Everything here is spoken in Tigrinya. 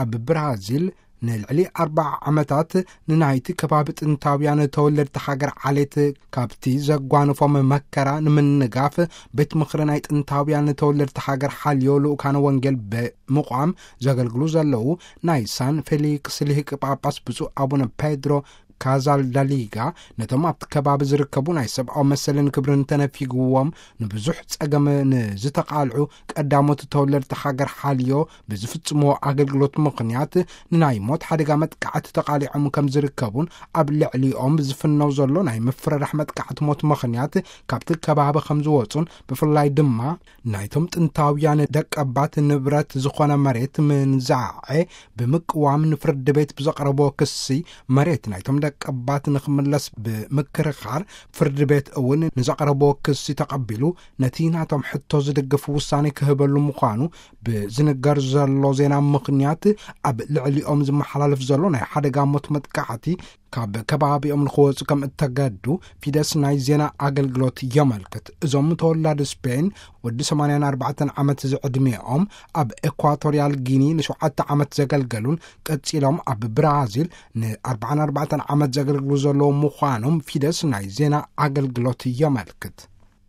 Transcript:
ኣብ ብራዚል ንልዕሊ ኣርባዓ ዓመታት ንናይቲ ከባቢ ጥንታውያን ተወለድቲ ሃገር ዓሌት ካብቲ ዘጓንፎም መከራ ንምንጋፍ፣ ቤት ምኽሪ ናይ ጥንታውያን ተወለድቲ ሃገር ሓልዮ ልኡካነ ወንጌል ብምቋም ዘገልግሉ ዘለዉ ናይ ሳን ፌሊክስ ልሂቅ ጳጳስ ብፁዕ ኣቡነ ፔድሮ ካዛልዳሊጋ፣ ነቶም ኣብቲ ከባቢ ዝርከቡ ናይ ሰብኣዊ መሰልን ክብርን ተነፊግዎም ንብዙሕ ጸገም ንዝተቓልዑ ቀዳሞት ተወለድቲ ሃገር ሓልዮ ብዝፍጽምዎ ኣገልግሎት ምኽንያት ንናይ ሞት ሓደጋ መጥቃዕቲ ተቓሊዖም ከም ዝርከቡን፣ ኣብ ልዕሊኦም ዝፍነው ዘሎ ናይ ምፍርራሕ መጥቃዕቲ ሞት ምኽንያት ካብቲ ከባቢ ከም ዝወጹን፣ ብፍላይ ድማ ናይቶም ጥንታውያን ደቀባት ንብረት ዝኾነ መሬት ምንዛዐ ብምቅዋም ንፍርዲ ቤት ብዘቕረቦ ክሲ፣ መሬት ናይቶም ደቀባት ንኽምለስ ብምክርኻር፣ ፍርዲ ቤት እውን ንዘቕረቦ ክሲ ተቐቢሉ ነቲ ናቶም ሕቶ ዝድግፍ ውሳኔ ክህበሉ ምዃኑ ብዝንገር ዘሎ ዜና ምኽንያት፣ ኣብ ልዕሊኦም ዝመሓላለፍ ዘሎ ናይ ሓደጋ ሞት መጥቃዕቲ ካብ ከባቢኦም ንኽወጹ ከም እተገዱ ፊደስ ናይ ዜና ኣገልግሎት የመልክት። እዞም ተወላዲ ስፔን ወዲ ሰማንያን ኣርባዕተን ዓመት ዝዕድሚኦም ኣብ ኤኳቶርያል ጊኒ ንሸውዓተ ዓመት ዘገልገሉን ቀጺሎም ኣብ ብራዚል ንኣርባዓን ኣርባዕተን ዓመት ዘገልግሉ ዘለዉ ምዃኖም ፊደስ ናይ ዜና ኣገልግሎት የመልክት።